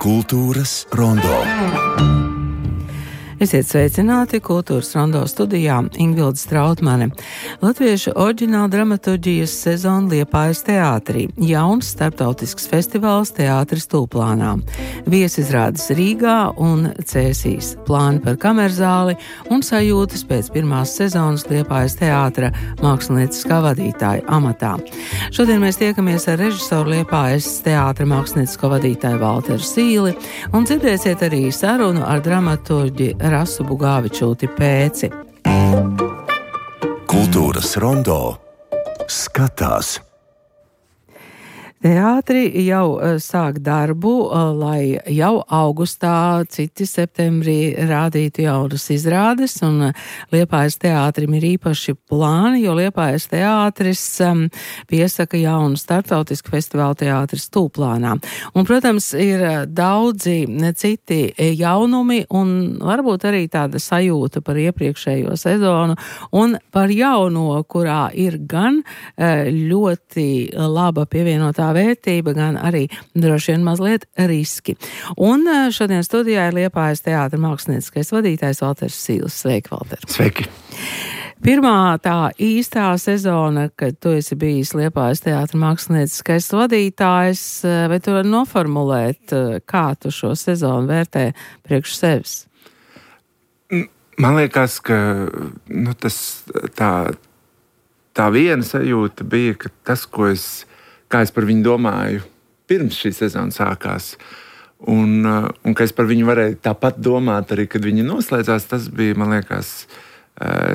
Kultūras rondo. Esiet sveicināti Kultūras rondo studijā Ingvilde Strautmane. Latviešu oriģināla dramaturģijas sezona Liepājas teātrī. Jauns starptautisks festivāls Teātris Tūplānā. Viesizrādes Rīgā un Cēsīs. Plāni par kamerzāli un sajūtas pēc pirmās sezonas Liepājas teātra mākslinieckā vadītāja amatā. Šodien mēs tiekamies ar režisoru Liepājas teātra mākslinieckā vadītāju Valteru Sīli un dzirdēsiet arī sarunu ar dramaturģi Rasu Bugāvičūti Pēci. Kultūras rondo skatās. Teātri jau sāk darbu, lai jau augustā, citi septembrī rādītu jaunas izrādes, un Liepājas teātrim ir īpaši plāni, jo Liepājas teātris piesaka jaunu starptautisku festivālu Teātris Tūplānā. Un, protams, ir daudzi citi jaunumi un varbūt arī tāda sajūta par iepriekšējo sezonu un par jauno, kurā ir gan ļoti laba pievienotā vērtība, gan arī droši vien mazliet riski. Un šodien studijā ir Liepājas teātra mākslinieckais vadītājs Valters Sīls. Sveiki, Valter! Sveiki! Pirmā tā īstā sezona, kad tu esi bijis Liepājas teātra mākslinieckais vadītājs, vai tu vari noformulēt, kā tu šo sezonu vērtē priekš sevis? Man liekas, ka tā viena sajūta bija, ka tas, kā es par viņu domāju pirms šī sezona sākās, un ka es par viņu varēju tāpat domāt arī, kad viņi noslēdzās, tas bija, man liekas,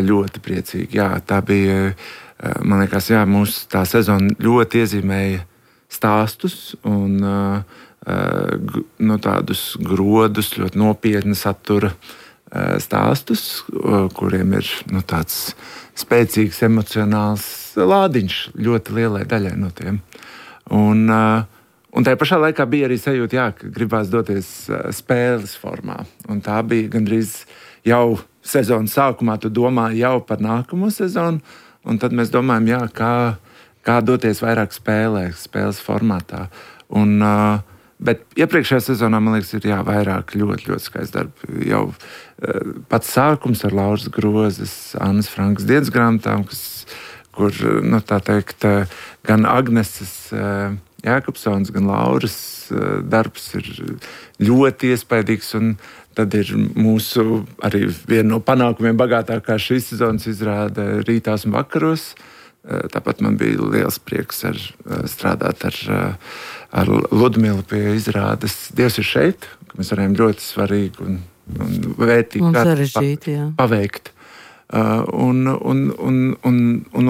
ļoti priecīgi. Jā, tā bija, man liekas, mūsu tā sezona ļoti iezīmēja stāstus un tādus grodus, ļoti nopietni satura stāstus, kuriem ir tāds spēcīgs emocionāls lādiņš ļoti lielai daļai no tiem. Un tajā pašā laikā bija arī sajūta, ka gribās doties spēles formā. Un tā bija gandrīz jau sezonas sākumā, tu domāji jau par nākamo sezonu, un tad mēs domājam, kā doties vairāk spēles formātā. Bet iepriekšējā sezonā, man liekas, ir vairāk ļoti, ļoti skaists darbs. Jau pats sākums ar Lauras Grozes, Annas Frankas dienas grāmatām, kur, tā teikt, gan Agneses Jākapsons, gan Lauras darbs ir ļoti iespaidīgs, un tad ir mūsu arī viena no panākumiem bagātākā šīs sezonas izrāde Rītās un vakaros. Tāpat man bija liels prieks strādāt ar Ludmilu pie izrādes Dievs ir šeit, ka mēs varējām ļoti svarīgi un vērtīgi paveikt. Un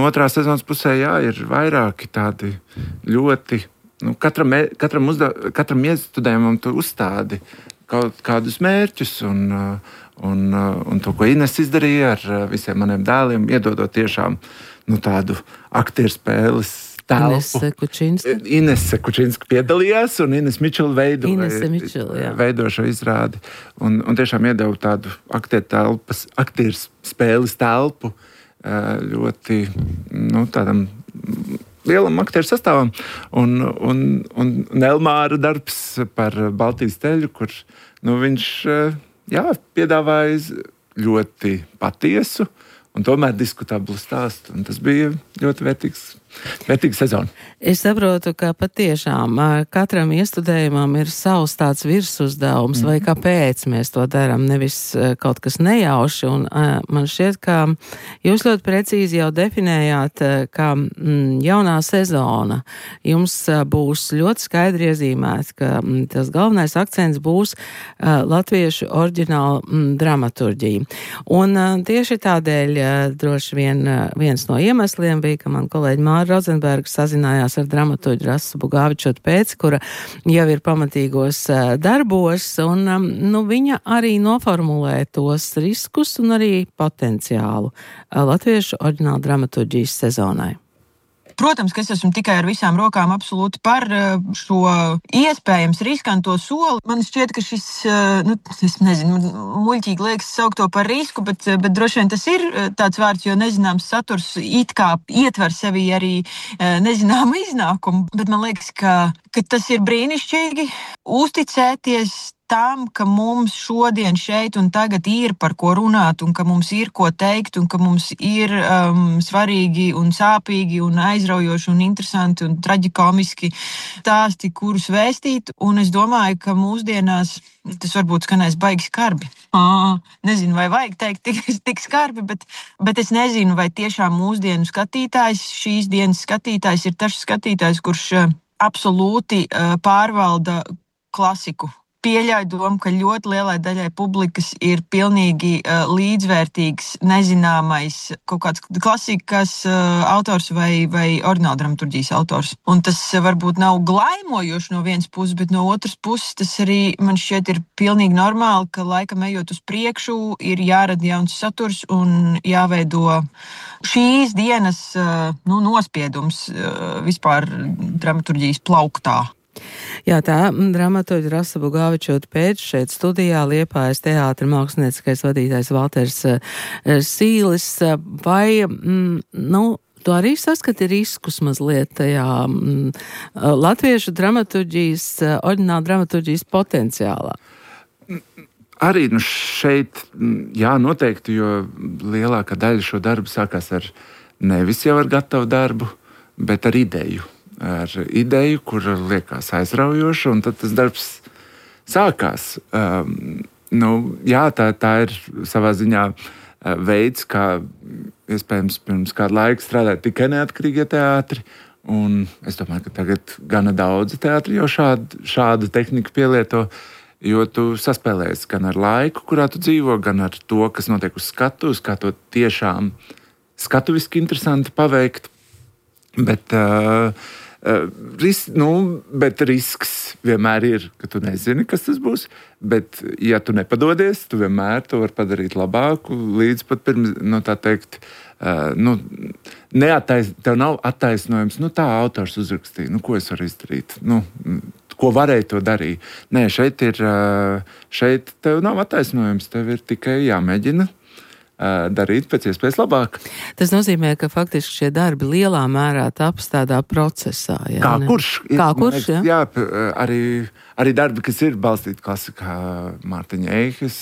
otrā sezonas pusē ir vairāki tādi ļoti, katram iestudējumam tu uzstādi kaut kādus mērķus un to, ko Ines izdarīja ar visiem maniem dēliem, iedodot tiešām tādu aktieru spēles telpu. Inese Kučinska piedalījās, un Ines Mičela veido šo izrādi. Un tiešām iedeva tādu aktieru spēles telpu ļoti tādam lielam aktieru sastāvam. Un Elmāra darbs par Baltijas ceļu, kur viņš piedāvāja ļoti patiesu un tomēr diskutablu stāstu. Un tas bija ļoti vērtīga sezona. Es saprotu, ka patiešām katram iestudējumam ir savs tāds virsuzdevums, vai kāpēc mēs to darām, nevis kaut kas nejauši. Un man šķiet, ka jūs ļoti precīzi jau definējāt, ka jaunā sezona jums būs ļoti skaidri iezīmēta, ka tas galvenais akcents būs latviešu oriģināla dramaturģija. Un tieši tādēļ droši vien viens no iemesliem bija, ka man kolēģi Māra Rodzenberga sazinājās ar dramaturģi Rasu Bugāvičūti Pēci, kura jau ir pamatīgos darbos, un viņa arī noformulē tos riskus un arī potenciālu latviešu oriģināla dramaturģijas sezonai. Protams, ka es esmu tikai ar visām rokām absolūti par šo iespējams riskanto soli. Man šķiet, ka šis, es nezinu, muļķīgi liekas saukt to par risku, bet droši vien tas ir tāds vārds, jo nezināms saturs it kā ietver sevī arī nezināmu iznākumu. Bet man liekas, ka tas ir brīnišķīgi uzticēties tam, ka mums šodien šeit un tagad ir par ko runāt, un ka mums ir ko teikt, un ka mums ir svarīgi un sāpīgi un aizraujoši un interesanti un traģikomiski stāsti, kurus vēstīt. Un es domāju, ka mūsdienās tas varbūt skanēs baigi skarbi. Nezinu, vai vajag teikt tik skarbi, bet es nezinu, vai tiešām mūsdienu skatītājs, šīs dienas skatītājs ir tas skatītājs, kurš absolūti pārvalda klasiku. Pieļauju domu, ka ļoti lielai daļai publikas ir pilnīgi līdzvērtīgs, nezināmais kaut kāds klasikas autors vai oriģināla dramaturģijas autors. Un tas varbūt nav glaimojoši no vienas puses, bet no otras puses tas arī man šķiet ir pilnīgi normāli, ka laikam ejot uz priekšu ir jārada jauns saturs un jāveido šīs dienas nospiedums vispār dramaturģijas plauktā. Jā, tā dramaturģa Rasa Bugavičota pēc šeit studijā Liepājas teātra mākslinieckais vadītājs Valters Sīlis. Vai, tu arī saskati riskus mazliet tajā latviešu dramaturģijas, oriģināla dramaturģijas potenciālā? Arī šeit, jā, noteikti, jo lielākā daļa šo darbu sākās ar nevis jau ar gatavu darbu, bet ar ideju. Ar ideju, kur liekas aizraujoša, un tad tas darbs sākās. Jā, tā ir savā ziņā veids, kā iespējams pirms kādu laiku strādāt tikai neatkarīgie teātri, un es domāju, ka tagad gana daudzi teātri jau šādu tehniku pielieto, jo tu saspēlējies gan ar laiku, kurā tu dzīvo, gan ar to, kas notiek uz skatuves, kā to tiešām skatuviski interesanti paveikt. Bet risks vienmēr ir, ka tu nezini, kas tas būs. Bet, ja tu nepadodies, tu vienmēr to vari padarīt labāku. Līdz pat pirms, tā teikt, tev nav attaisnojums. Tā autors uzrakstīja, ko es varu izdarīt? Ko varēja to darīt? Nē, šeit tev nav attaisnojums. Tev ir tikai jāmēģina darīt pēc iespējas labāk. Tas nozīmē, ka faktiski šie darbi lielā mērā taps tādā procesā. Jā, Kā kurš, jā, arī darbi, kas ir balstīti klasikā, Mārtiņa Eihes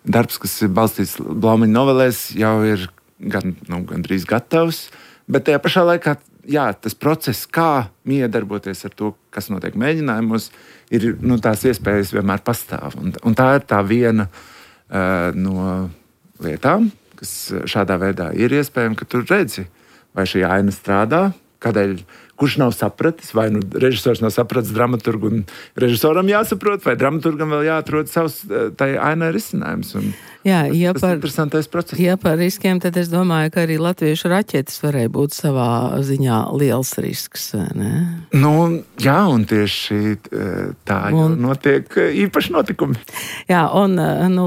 darbs, kas ir balstīts Blaumaņa novelēs, jau ir gandrīz gatavs, bet tajā pašā laikā, jā, tas process, kā miedarboties ar to, kas notiek mēģinājumos, ir, tās iespējas vienmēr pastāv. Un tā ir tā viena no lietām, kas šādā veidā ir iespējams, ka tu redzi, vai šī aina strādā, kurš nav sapratis, vai režisors nav sapratis dramaturgu, un režisoram jāsaprot, vai dramaturgam vēl jāatrod savs tai ainai risinājums. Jā, tas ir interesantais process. Ja par riskiem, tad es domāju, ka arī latviešu raķetes varēja būt savā ziņā liels risks, ne? Jā, un tieši tā notiek īpaši notikumi. Jā, un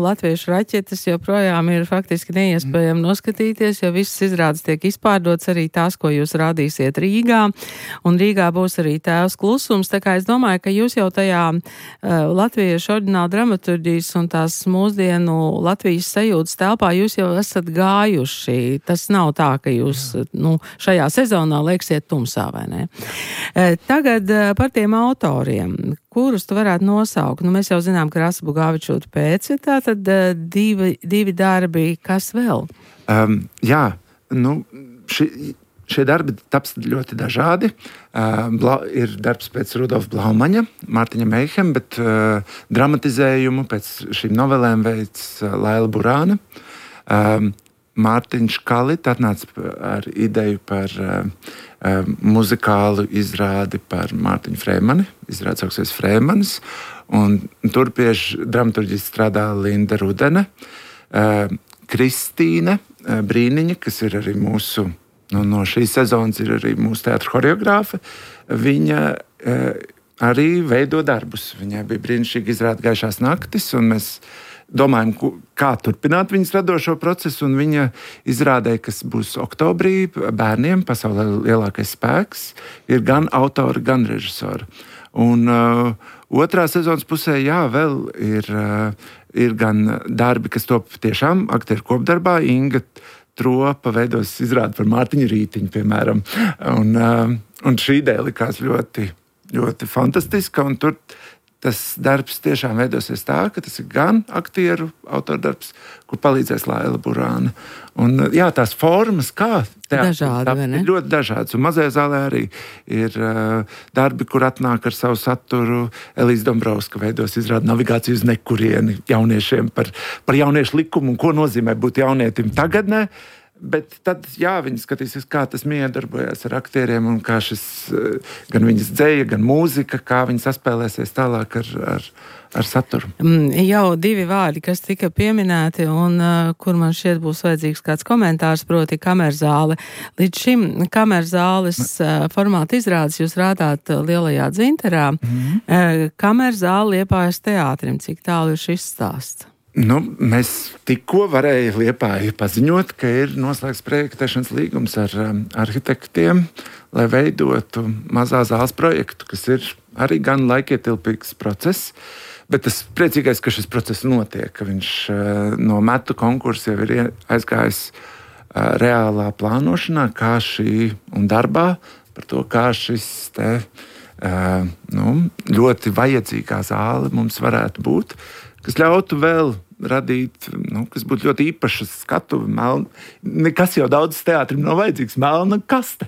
latviešu raķetes joprojām ir faktiski neiespējami noskatīties, jo visas izrādes tiek izpārdots, arī tās, ko jūs rādīsiet Rīgā. Un Rīgā būs arī Tēvs klusums, tā kā es domāju, ka jūs jau tajā latviešu oriģināla dramaturģijas un tās mūsdienu Latvijas sajūtas telpā jūs jau esat gājuši. Tas nav tā, ka jūs šajā sezonā lieksiet tumsā, vai ne? Tagad par tiem autoriem, kurus tu varētu nosaukt. Mēs jau zinām, ka Rasa Bugavičota pēc, tātad divi darbi, kas vēl? Šie darbi taps ļoti dažādi. Ir darbs pēc Rudolfa Blaumaņa, Mārtiņa Meihema, bet dramatizējumu pēc šīm novelēm veids Laila Burāna. Mārtiņš Kalita atnāca ar ideju par muzikālu izrādi par Mārtiņu Frēmani. Izrādi sauksies Frēmanis. Un tur pie dramaturģijas strādā Linda Rudene. Kristīne Brīniņa, kas ir arī mūsu no šīs sezonas ir arī mūsu teātra horeogrāfe. Viņa arī veido darbus. Viņai bija brīnišķīgi izrāde Gaišās naktis, un mēs domājam, kā turpināt viņas radošo procesu, un viņa izrādē, kas būs oktobrī bērniem, pasaulē lielākais spēks, ir gan autori, gan režisori. Un otrā sezonas pusē, vēl ir gan darbi, kas top tiešām aktieru kopdarbā. Inga Tropa veidos izrādi par Mārtiņu Rītiņu, piemēram. Un šī ideja likās ļoti, ļoti fantastiska, un tur tas darbs tiešām veidosies tā, ka tas ir gan aktieru autordarbs, kur palīdzēs Laila Burāne. Un tās formas, kā dažādi, ir ļoti dažādas. Un mazajā zālē arī ir darbi, kur atnāk ar savu saturu. Elīze Dombrovska veidos izrādi Navigāciju uz nekurieni jauniešiem par jauniešu likumu un ko nozīmē būt jaunietim tagadnē. Bet tad, viņi skatīsies, kā tas miedarbojas ar aktieriem un kā šis gan viņas dzeja, gan mūzika, kā viņi saspēlēsies tālāk ar saturu. Jau 2 vārdi, kas tika pieminēti un kur man šķiet būs vajadzīgs kāds komentārs, proti kamerzāle. Līdz šim kamerzāles formāta izrādes jūs rādāt Lielajā Dzinterā. Kamerzāle Liepājas teātrim, cik tālu ir šis stāsts? Mēs tikko varējām Liepāju paziņot, ka ir noslēgts projektēšanas līgums ar arhitektiem, lai veidotu mazā zāles projektu, kas ir arī gan laikietilpīgs process. Bet tas priecīgais, ka šis process notiek, ka viņš no metu konkursa jau ir aizgājis reālā plānošanā, kā šī un darbā par to, kā šis ļoti vajadzīgā zāle mums varētu būt, kas ļautu vēl radīt, kas būtu ļoti īpašs skatuve, nekas jau daudz teātrim nav vajadzīgs, melna kaste,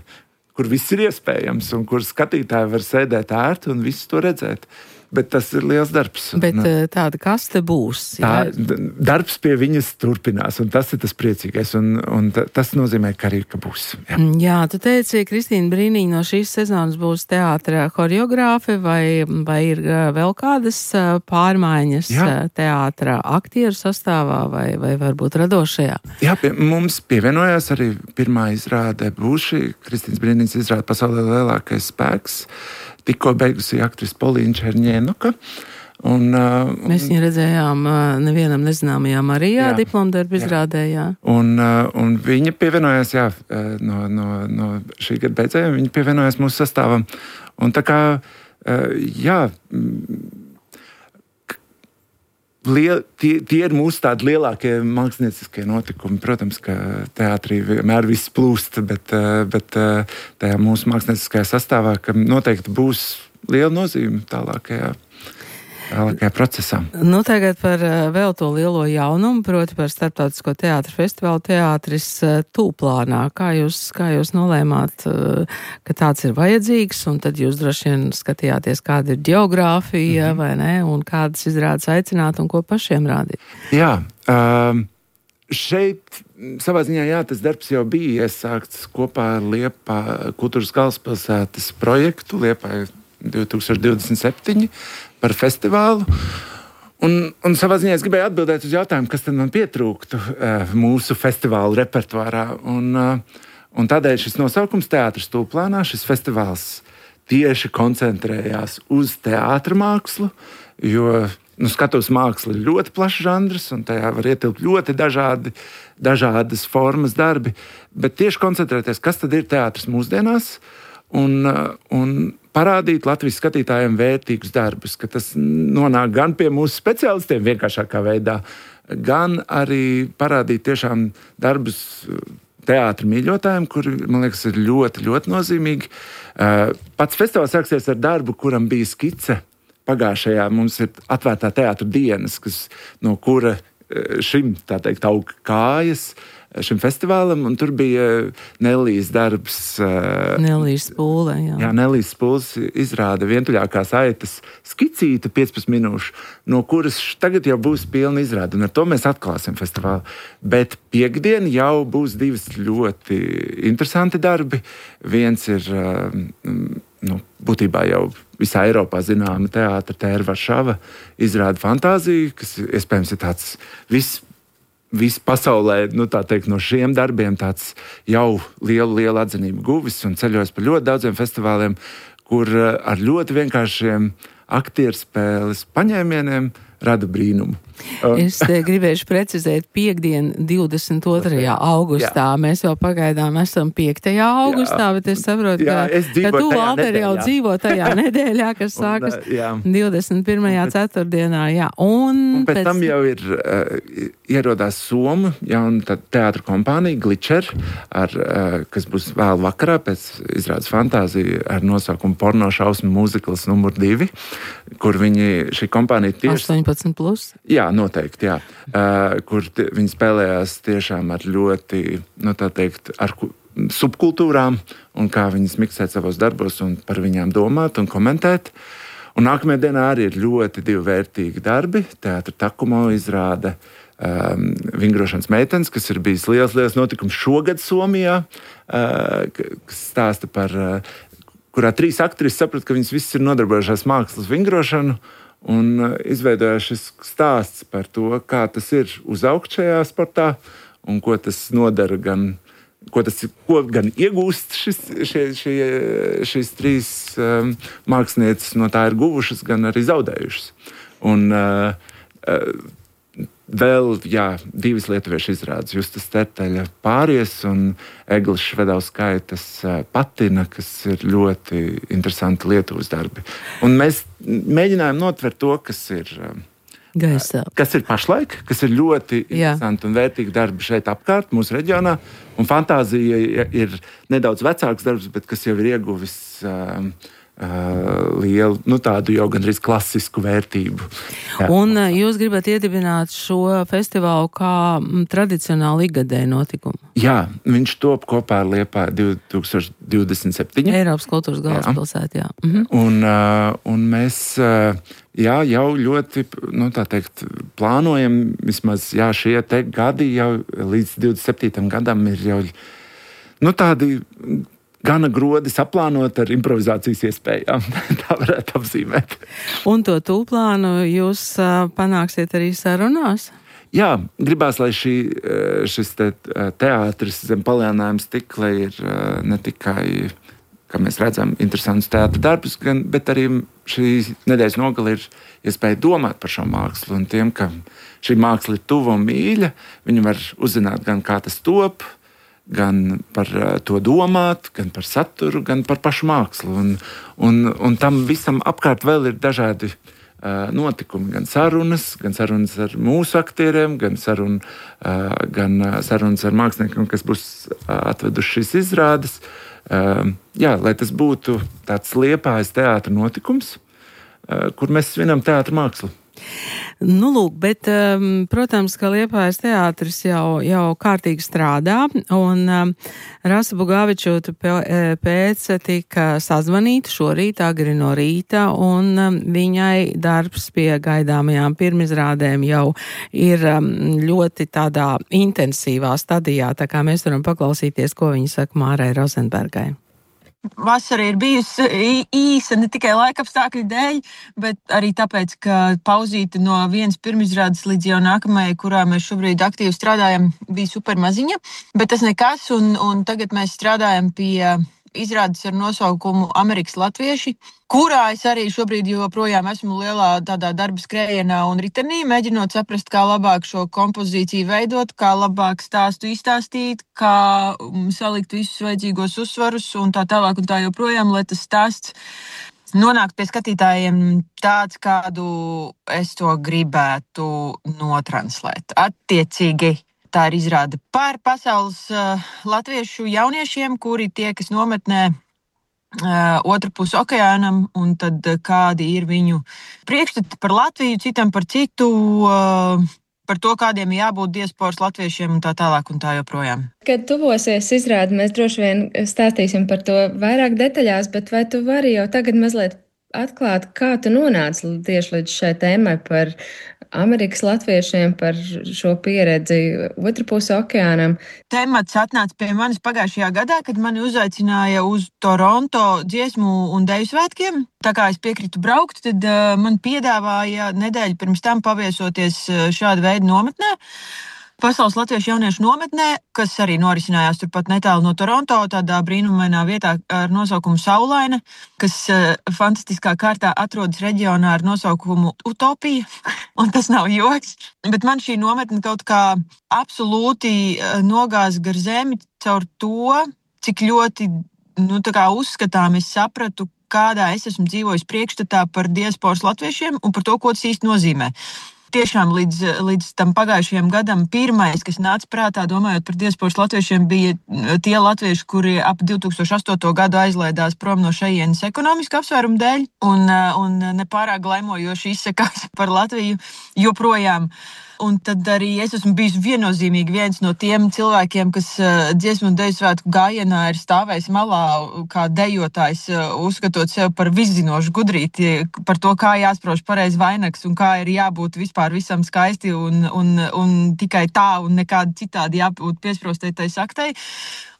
kur viss ir iespējams un kur skatītāji var sēdēt ērti un visu to redzēt. Bet tas ir liels darbs. Bet tāda kaste būs. Darbs pie viņas turpinās, un tas ir tas priecīgais, un tas nozīmē, ka arī būs. Jā, tu teici, Kristīna Brīniņa no šīs sezonas būs teātra choreogrāfe, vai ir vēl kādas pārmaiņas teātra aktieru sastāvā, vai varbūt radošajā? Jā, mums pievienojās arī pirmā izrāde būs šī Kristīnas Brīniņas izrāde Pasaulē lielākais spēks. Tikko beigusi aktrise Polīna Čerņēnuka. Mēs viņu redzējām nevienam nezināmajā Marijā diplomdarbu izrādē. Un viņa pievienojās no šī gada beidzējiem, viņa pievienojās mūsu sastāvam. Un tā kā, tie ir mūsu tādi lielākie mākslinieckie notikumi. Protams, ka teātrī vienmēr viss plūst, bet tajā mūsu mākslinieckajā sastāvā, ka noteikti būs liela nozīme tālākajā procesā. Tagad par vēl to lielo jaunumu, proti par Starptautisko teātra festivālu Teātris Tūplānā. Kā jūs nolēmāt, ka tāds ir vajadzīgs, un tad jūs droši vien skatījāties, kāda ir ģeogrāfija, vai ne, un kādas izrādes aicināt un ko pašiem rādīt? Jā, šeit savā ziņā, tas darbs jau bija iesākts kopā ar Liepā kultūras galvaspilsētas projektu Liepā 2027 par festivālu. Un savā ziņā es gribēju atbildēt uz jautājumu, kas tad man pietrūktu mūsu festivālu repertuārā. Un tādēļ šis nosaukums Teātris Tūplānā, šis festivāls tieši koncentrējās uz teātra mākslu, jo skatuves māksla ir ļoti plašs žanrs, un tajā var ietilpt ļoti dažādas formas darbi, bet tieši koncentrēties, kas tad ir teātris mūsdienās, un parādīt Latvijas skatītājiem vērtīgus darbus, ka tas nonāk gan pie mūsu speciālistiem vienkāršākā veidā, gan arī parādīt tiešām darbus teātra mīļotājiem, kuri, man liekas, ir ļoti, ļoti nozīmīgi. Pats festivāls sāksies ar darbu, kuram bija skice pagājušajā. Mums ir atvērtā teātra dienas, no kura šim, tā teikt, aug kājas šim festivālam, un tur bija Nelijas darbs. Nelijas Spūle, Jā, Nelijas Spūles izrāda vientuļākās aitas skicīta 15 minūšu, no kuras tagad jau būs pilna izrāde, un ar to mēs atklāsim festivālu. Bet piekdien jau būs 2 ļoti interesanti darbi. Viens ir, būtībā jau visā Eiropā zināma teātra Tēra Varšava izrāda Fantāziju, kas iespējams ir tāds viss pasaulē, tā teikt, no šiem darbiem tāds jau lielu atzinību guvis un ceļojas pa ļoti daudziem festivāliem, kur ar ļoti vienkāršiem aktierspēles paņēmieniem rada brīnumu. Es gribēšu precizēt piekdien 22. augustā. Jā. Mēs jau pagaidām esam 5. augustā, bet es saprotu, ka tu, Valter, jau dzīvo tajā nedēļā, kas sākas 21. ceturtdienā. Jā. Un pēc tam jau ir ierodās Somu jauna teātra kompānija Glitcher, kas būs vēl vakarā pēc izrādes Fantāzija ar nosaukumu Porno šausmu mūzikls numur 2, kur šī kompānija tieši... 18+? Jā, noteikti, jā. Kur viņi spēlējās tiešām ar ļoti, tā teikt, ar subkultūrām un kā viņas miksēt savos darbos un par viņām domāt un komentēt. Un nākamajā dienā arī ir ļoti divi vērtīgi darbi. Teātra Takumo izrāda Vingrošanas meitenes, kas ir bijis liels notikums šogad Somijā, kas stāsta par, kurā 3 aktrises saprata, ka viņas visas ir nodarbojušās mākslas vingrošanu, un izveidojās šis stāsts par to, kā tas ir uzaugt šajā sportā un ko tas nodara ko gan iegūst šīs 3 mākslinieces no tā ir guvušas, gan arī zaudējušas. Un vēl, 2 lietuviešu izrādes, Justas Terteļa Pāries un Eglis Švedauskaitas Patina, kas ir ļoti interesanti Lietuvas darbi. Un mēs mēģinājām notvert to, kas ir gaisā. Kas ir pašlaik, kas ir ļoti interesanti un vērtīgi darbi šeit apkārt, mūsu reģionā. Un Fantāzija ir nedaudz vecāks darbs, bet kas jau ir ieguvis lielu, tādu jau gandrīz klasisku vērtību. Jā. Un jūs gribat iedibināt šo festivālu kā tradicionāli ikgadēju notikumu? Jā, viņš top kopā ar Liepāju 2027. Eiropas kultūras galvaspilsētā, jā. Un mēs jau ļoti, tā teikt, plānojam vismaz, šie te gadi jau līdz 27. gadam ir jau, tādi gana grodi saplānot ar improvizācijas iespējām. Tā varētu apzīmēt. Un to tūplānu jūs panāksiet arī sarunās? Jā, gribās, lai šis teātris zem palielinājuma stikla ir ne tikai, kā mēs redzam, interesants teātra darbus, bet arī šī nedēļas nogale ir iespēja domāt par šo mākslu. Un tiem, ka šī māksla ir tuva un mīļa, viņi var uzzināt gan kā tas top, gan par to domāt, gan par saturu, gan par pašu mākslu. Un tam visam apkārt vēl ir dažādi notikumi, gan sarunas ar mūsu aktieriem, gan sarunas ar māksliniekiem, kas būs atveduši šīs izrādes. Lai tas būtu tāds Liepājas teātra notikums, kur mēs svinam teātra mākslu. Lūk, bet, protams, ka Liepājas teātris jau kārtīgi strādā, un Rasa Bugavičūta pēc tika sazvanīta šorīt agri no rīta, un viņai darbs pie gaidāmajām pirmizrādēm jau ir ļoti tādā intensīvā stadijā, tā kā mēs varam paklausīties, ko viņa saka Mārai Rozenbergai. Vasara ir bijusi īsa ne tikai laikapstākļu dēļ, bet arī tāpēc, ka pauzīte no vienas pirmizrādes līdz jau nākamajai, kurā mēs šobrīd aktīvi strādājam, bija super maziņa. Bet tas nekas, un tagad mēs strādājam pie izrādes ar nosaukumu Amerikas latvieši, kurā es arī šobrīd joprojām esmu lielā tādā darba skrējienā un ritenī, mēģinot saprast, kā labāk šo kompozīciju veidot, kā labāk stāstu izstāstīt, kā salikt visus vajadzīgos uzsvarus un tā tālāk un tā joprojām, lai tas stāsts nonākt pie skatītājiem tāds, kādu es to gribētu notranslēt. Attiecīgi, tā ir izrāde par pasaules latviešu jauniešiem, kuri tiekas nometnē otru pusi okeānam, un tad kādi ir viņu priekšstati par Latviju, citam par citu, par to, kādiem jābūt diasporas latviešiem un tā tālāk un tā joprojām. Kad tuvosies izrādi, mēs droši vien stāstīsim par to vairāk detaļās, bet vai tu vari jau tagad mazliet atklāt, kā tu nonāci tieši līdz šai tēmai par Amerikas latviešiem, par šo pieredzi otru pusi okeānam? Temats atnāca pie manis pagājušajā gadā, kad mani uzaicināja uz Toronto dziesmu un deju svētkiem. Tā kā es piekritu braukt, tad man piedāvāja nedēļu pirms tam paviesoties šāda veida nometnē. Pasaules latviešu jauniešu nometnē, kas arī norisinājās turpat netālu no Toronto, tādā brīnumainā vietā ar nosaukumu Saulaine, kas fantastiskā kārtā atrodas reģionā ar nosaukumu Utopija, un tas nav joks. Bet man šī nometne kaut kā absolūti nogāza gar zemi caur to, cik ļoti uzskatām es sapratu, kādā es esmu dzīvojis priekšstatā par diasporas latviešiem un par to, ko tas īsti nozīmē. Tiešām līdz tam pagājušajam gadam pirmais, kas nāca prātā, domājot par diasporas latviešiem, bija tie latvieši, kuri ap 2008. gadu aizlaidās prom no šejienes ekonomiska apsvērumu dēļ un nepārāk glaimojoši izsakās par Latviju joprojām. Un tad arī es esmu bijis viennozīmīgi viens no tiem cilvēkiem, kas dziesmu un deju svētku gājienā ir stāvējis malā kā dejotājs, uzskatot sev par viszinošu gudrīti, par to, kā jāsprauž pareizi vainags un kā ir jābūt vispār visam skaisti un tikai tā un nekādi citādi jābūt piesprostētai saktai.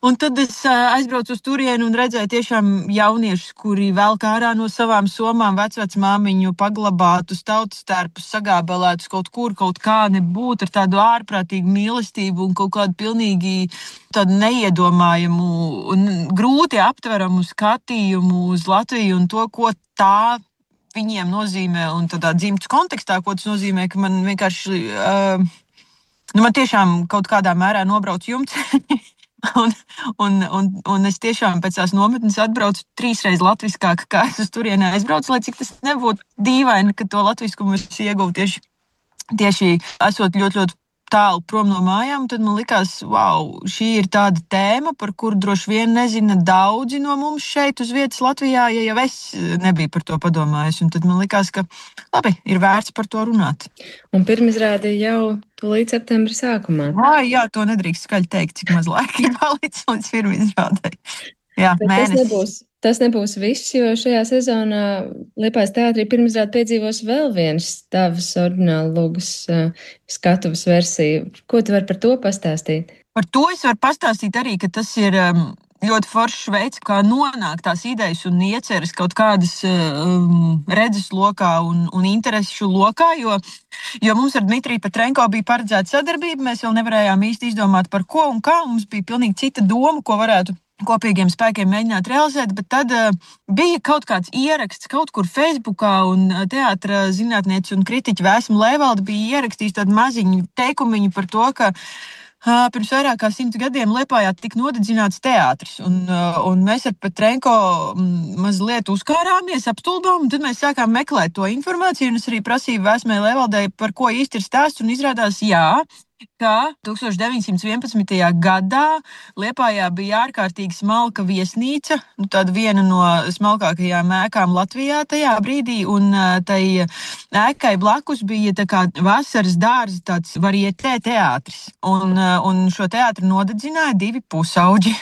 Un tad es aizbraucu uz turieni un redzēju tiešām jauniešus, kuri velk ārā no savām somām vecmāmiņu paglabātus tautas tērpus, sagābelētus kaut kur, kaut kā nebūt ar tādu ārprātīgu mīlestību un kaut kādu pilnīgi tādu neiedomājumu un grūti aptveramu skatījumu uz Latviju un to, ko tā viņiem nozīmē un tādā dzimtas kontekstā, ko tas nozīmē, ka man vienkārši, man tiešām kaut kādā mērā nobrauc jumts. Un es tiešām pēc tās nometnes atbraucu 3 reizes latviskāk, kā es uz turienē aizbraucu, lai cik tas nebūtu dīvaini, ka to latviskumu es ieguvu tieši esot ļoti, ļoti tālu prom no mājām. Tad man likās, wow, šī ir tāda tēma, par kuru droši vien nezina daudzi no mums šeit uz vietas Latvijā, ja jau es nebiju par to padomājis. Un tad man likās, ka labi, ir vērts par to runāt. Un pirmizrāde jau līdz septembra sākumā. Jā, to nedrīkst skaļi teikt, cik maz laika ir palicis līdz pirmizrādei. Jā, mēnesis. Tas nebūs viss, jo šajā sezonā Liepājas teātrī pirmizrāde piedzīvos vēl vienas tavas oriģināla lūgas skatuves versiju. Ko tu vari par to pastāstīt? Par to es varu pastāstīt arī, ka tas ir ļoti foršs veids, kā nonāk tās idejas un ieceres kaut kādas redzes lokā un interesu lokā, jo mums ar Dmitriju Petrenko bija paredzēta sadarbība, mēs vēl nevarējām īsti izdomāt par ko un kā, mums bija pilnīgi cita doma, ko varētu kopīgiem spēkiem mēģināt realizēt, bet tad bija kaut kāds ieraksts kaut kur Facebookā un teātra zinātniece un kritiķa Vēsma Lēvalde bija ierakstījis tādu maziņu teikumiņu par to, ka pirms vairāk kā 100 gadiem Liepājā tika nodedzināts teātris, un mēs ar Petrenko mazliet uzkārāmies, apstulbām, un tad mēs sākām meklēt to informāciju, un es arī prasīju Vēsmai Lēvaldei, par ko īsti ir stāsts, un izrādās, ka 1911. gadā Liepājā bija ārkārtīgi smalka viesnīca, tāda viena no smalkākajām ēkām Latvijā tajā brīdī, un tai ēkai blakus bija tā kā vasaras dārza tāds varietē teātris, un šo teātri nodedzināja 2 pusauģi.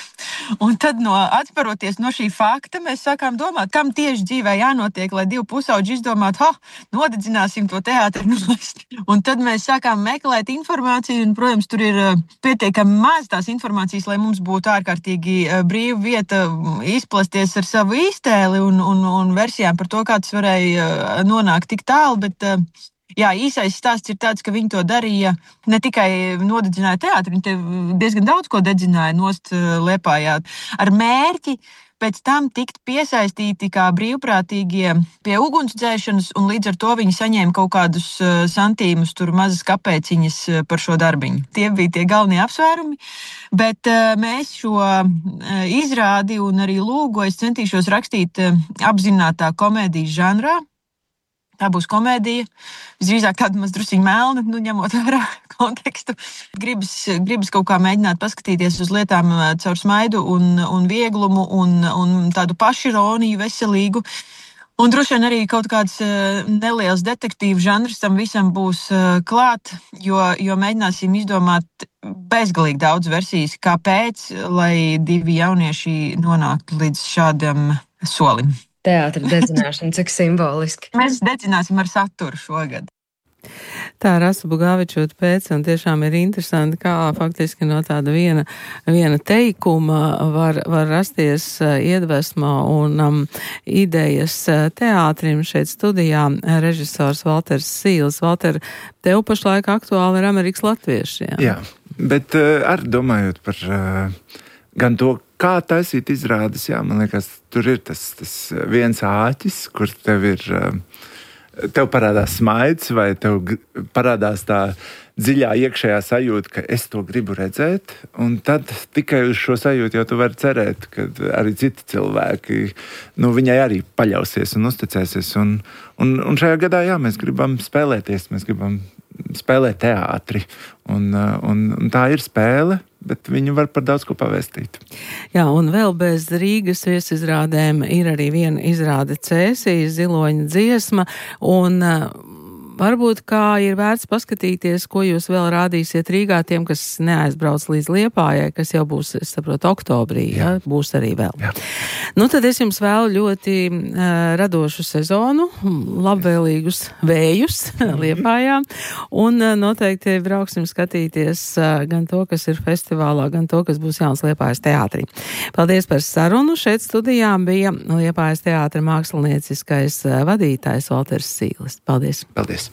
Un tad atparoties no šī fakta, mēs sākām domāt, kam tieši dzīvē jānotiek, lai 2 pusauģi izdomātu, nodedzināsim to teātri nost. Un tad mēs sākām meklēt informāciju, un, protams, tur ir pietiekami maz tās informācijas, lai mums būtu ārkārtīgi brīva vieta izplasties ar savu iztēli un versijām par to, kā tas varēja nonākt tik tālu, bet īsais stāsts ir tāds, ka viņi to darīja ne tikai nodedzināja teātri, viņi diezgan daudz ko dedzināja nost Liepājā ar mērķi pēc tam tikt piesaistīti kā brīvprātīgie pie ugunsdzēšanas, un līdz ar to viņi saņēma kaut kādus santīmus, tur mazas kapēciņas par šo darbiņu. Tie bija tie galvenie apsvērumi, bet mēs šo izrādi un arī lūgu es centīšos rakstīt apzinātā komēdijas žanrā. Tā būs komēdija, visdrīzāk tāda maz drusciņa melna, ņemot vērā kontekstu. Gribas kaut kā mēģināt paskatīties uz lietām caur smaidu un vieglumu un tādu pašironiju veselīgu. Un droši vien arī kaut kāds neliels detektīvu žanrs tam visam būs klāt, jo mēģināsim izdomāt bezgalīgi daudz versijas, kāpēc, lai 2 jaunieši nonāktu līdz šādam solim. Teātra dedzināšana, cik simboliski. Mēs dedzināsim ar saturu šogad. Tā Rasa Bugavičot pēc, un tiešām ir interesanti, kā faktiski no tāda viena teikuma var rasties iedvesma un idejas teātrim. Šeit studijā režisors Valters Sīls. Valter, tev pašlaik aktuāli ir Amerikas latvieši, jā? Jā, bet arī domājot par gan to, kā taisīt izrādes, jā, man liekas, tur ir tas viens āķis, kur tev parādās smaids, vai tev parādās tā dziļā iekšējā sajūta, ka es to gribu redzēt, un tad tikai uz šo sajūtu jau tu vari cerēt, ka arī citi cilvēki, viņai arī paļausies un uzticēsies, un šajā gadā, jā, mēs gribam spēlēties, mēs gribam spēlēt teātri, un tā ir spēle, bet viņi var par daudz ko pavēstīt. Jā, un vēl bez Rīgas viesizrādēm ir arī viena izrāde Cēsīs, Ziloņa dziesma, un varbūt kā ir vērts paskatīties, ko jūs vēl rādīsiet Rīgā tiem, kas neaizbrauc līdz Liepājai, kas jau būs, es saprotu, oktobrī, ja? Būs arī vēl. Jā. Tad es jums vēlu ļoti radošu sezonu, labvēlīgus vējus Liepājā, un noteikti brauksim skatīties gan to, kas ir festivālā, gan to, kas būs jauns Liepājas teātrī. Paldies par sarunu. Šeit studijām bija Liepājas teātra mākslinieckais vadītājs Valters Sīlis. Paldies. Paldies.